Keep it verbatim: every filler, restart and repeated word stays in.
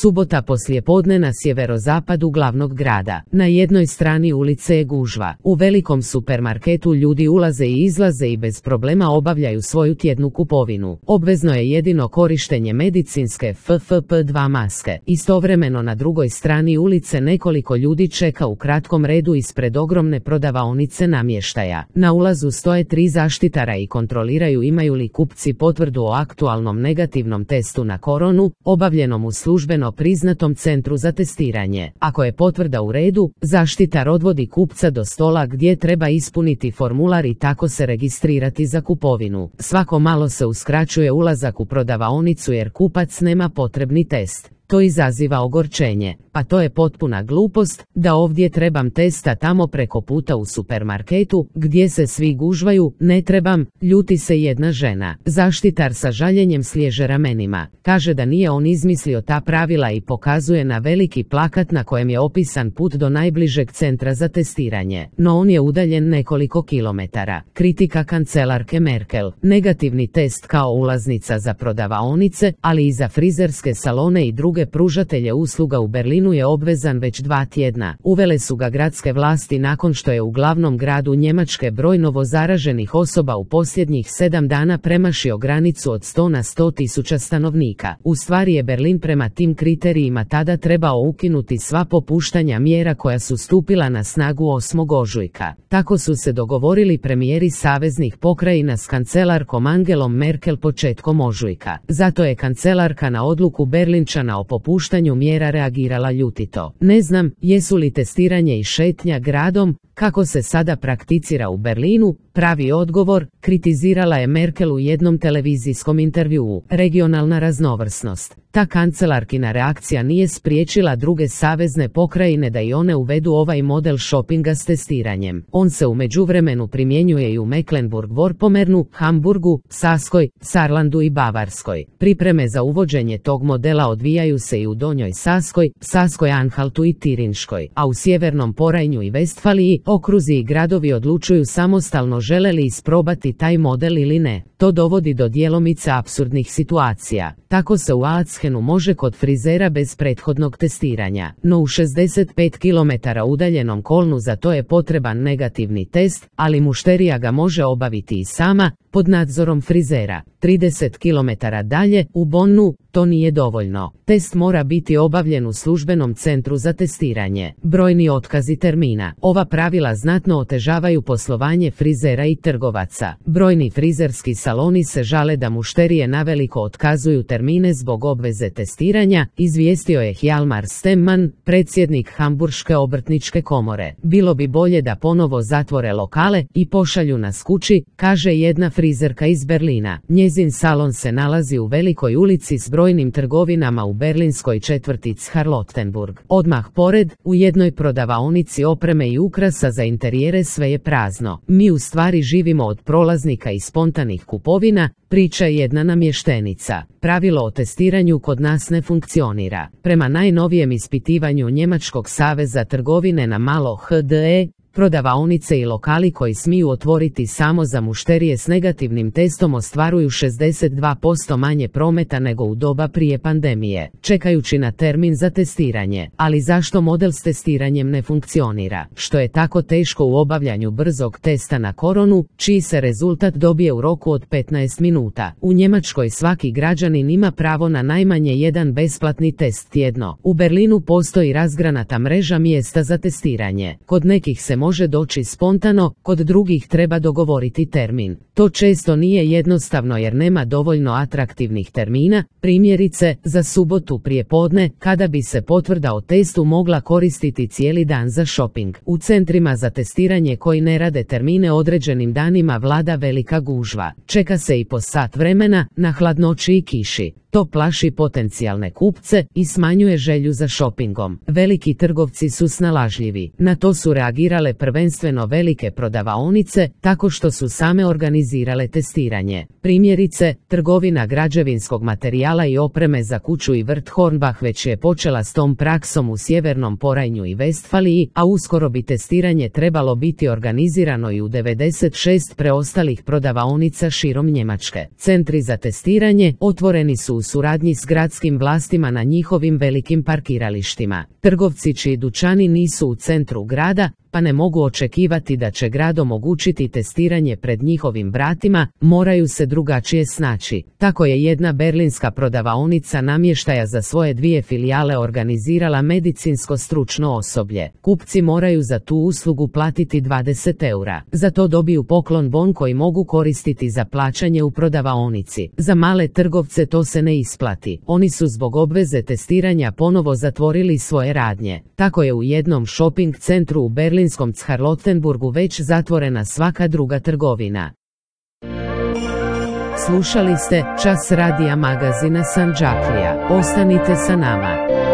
Subota poslijepodne na sjeverozapadu glavnog grada. Na jednoj strani ulice je gužva. U velikom supermarketu ljudi ulaze i izlaze i bez problema obavljaju svoju tjednu kupovinu. Obvezno je jedino korištenje medicinske F F P dva maske. Istovremeno na drugoj strani ulice nekoliko ljudi čeka u kratkom redu ispred ogromne prodavaonice namještaja. Na ulazu stoje tri zaštitara i kontroliraju imaju li kupci potvrdu o aktualnom negativnom testu na koronu, obavljenom u službeno priznatom centru za testiranje. Ako je potvrda u redu, zaštitar odvodi kupca do stola gdje treba ispuniti formular i tako se registrirati za kupovinu. Svako malo se uskraćuje ulazak u prodavaonicu jer kupac nema potrebni test. To izaziva ogorčenje. Pa to je potpuna glupost, da ovdje trebam testa tamo preko puta u supermarketu, gdje se svi gužvaju, ne trebam, ljuti se jedna žena. Zaštitar sa žaljenjem sliježe ramenima. Kaže da nije on izmislio ta pravila i pokazuje na veliki plakat na kojem je opisan put do najbližeg centra za testiranje. No on je udaljen nekoliko kilometara. Kritika kancelarke Merkel. Negativni test kao ulaznica za prodavaonice, ali i za frizerske salone i druge pružatelje usluga u Berlinu je obvezan već dva tjedna. Uvele su ga gradske vlasti nakon što je u glavnom gradu Njemačke broj novozaraženih osoba u posljednjih sedam dana premašio granicu od sto na sto tisuća stanovnika. U stvari je Berlin prema tim kriterijima tada trebao ukinuti sva popuštanja mjera koja su stupila na snagu osmog ožujka. Tako su se dogovorili premijeri saveznih pokrajina s kancelarkom Angelom Merkel početkom ožujka. Zato je kancelarka na odluku Berlinčana o popuštanju mjera reagirala ljutito. Ne znam, jesu li testiranje i šetnja gradom, kako se sada prakticira u Berlinu, pravi odgovor, kritizirala je Merkel u jednom televizijskom intervjuu. Regionalna raznovrsnost. Ta kancelarkina reakcija nije spriječila druge savezne pokrajine da i one uvedu ovaj model šopinga s testiranjem. On se u međuvremenu primjenjuje i u Mecklenburg-Vorpommernu, Hamburgu, Saskoj, Saarlandu i Bavarskoj. Pripreme za uvođenje tog modela odvijaju se i u Donjoj Saskoj, Saskoj Anhaltu i Tirinškoj, a u sjevernom Porajnju i Vestfaliji okruzi i gradovi odlučuju samostalno žele li isprobati taj model ili ne. To dovodi do djelomice apsurdnih situacija. Tako se u Aachenu može kod frizera bez prethodnog testiranja, no u šezdeset pet kilometara udaljenom Kolnu za to je potreban negativni test, ali mušterija ga može obaviti i sama, pod nadzorom frizera. trideset kilometara dalje, u Bonnu, to nije dovoljno. Test mora biti obavljen u službenom centru za testiranje. Brojni otkazi termina. Ova pravila znatno otežavaju poslovanje frizera i trgovaca. Brojni frizerski saloni se žale da mušterije naveliko otkazuju termine zbog obveze testiranja, izvijestio je Hjalmar Stemman, predsjednik Hamburške obrtničke komore. Bilo bi bolje da ponovo zatvore lokale i pošalju nas kući, kaže jedna frizerka iz Berlina. Njezin salon se nalazi u velikoj ulici s brojnim trgovinama u berlinskoj četvrti Charlottenburg. Odmah pored, u jednoj prodavaonici opreme i ukrasa za interijere sve je prazno. Mi u stvari živimo od prolaznika i spontanih kupovina, priča jedna namještenica. Pravilo o testiranju kod nas ne funkcionira. Prema najnovijem ispitivanju Njemačkog saveza trgovine na malo H D E, prodavaonice i lokali koji smiju otvoriti samo za mušterije s negativnim testom ostvaruju šezdeset dva posto manje prometa nego u doba prije pandemije, čekajući na termin za testiranje. Ali zašto model s testiranjem ne funkcionira? Što je tako teško u obavljanju brzog testa na koronu, čiji se rezultat dobije u roku od petnaest minuta? U Njemačkoj svaki građanin ima pravo na najmanje jedan besplatni test tjedno. U Berlinu postoji razgranata mreža mjesta za testiranje. Kod nekih se može doći spontano, kod drugih treba dogovoriti termin. To često nije jednostavno jer nema dovoljno atraktivnih termina, primjerice, za subotu prijepodne, kada bi se potvrda o testu mogla koristiti cijeli dan za shopping. U centrima za testiranje koji ne rade termine određenim danima vlada velika gužva. Čeka se i po sat vremena, na hladnoći i kiši. To plaši potencijalne kupce i smanjuje želju za šopingom. Veliki trgovci su snalažljivi. Na to su reagirale prvenstveno velike prodavaonice, tako što su same organizirale testiranje. Primjerice, trgovina građevinskog materijala i opreme za kuću i vrt Hornbach već je počela s tom praksom u sjevernom Porajnju i Vestfaliji, a uskoro bi testiranje trebalo biti organizirano i u devedeset šest preostalih prodavaonica širom Njemačke. Centri za testiranje otvoreni su u suradnji s gradskim vlastima na njihovim velikim parkiralištima. Trgovci čiji dućani nisu u centru grada, pa ne mogu očekivati da će grad omogućiti testiranje pred njihovim vratima, moraju se drugačije snaći. Tako je jedna berlinska prodavaonica namještaja za svoje dvije filijale organizirala medicinsko stručno osoblje. Kupci moraju za tu uslugu platiti dvadeset eura. Za to dobiju poklon bon koji mogu koristiti za plaćanje u prodavaonici. Za male trgovce to se ne isplati. Oni su zbog obveze testiranja ponovo zatvorili svoje radnje. Tako je u jednom shopping centru u berlinskom Charlottenburgu već zatvorena svaka druga trgovina. Slušali ste Čas radija magazina Sandžaklija. Ostanite sa nama.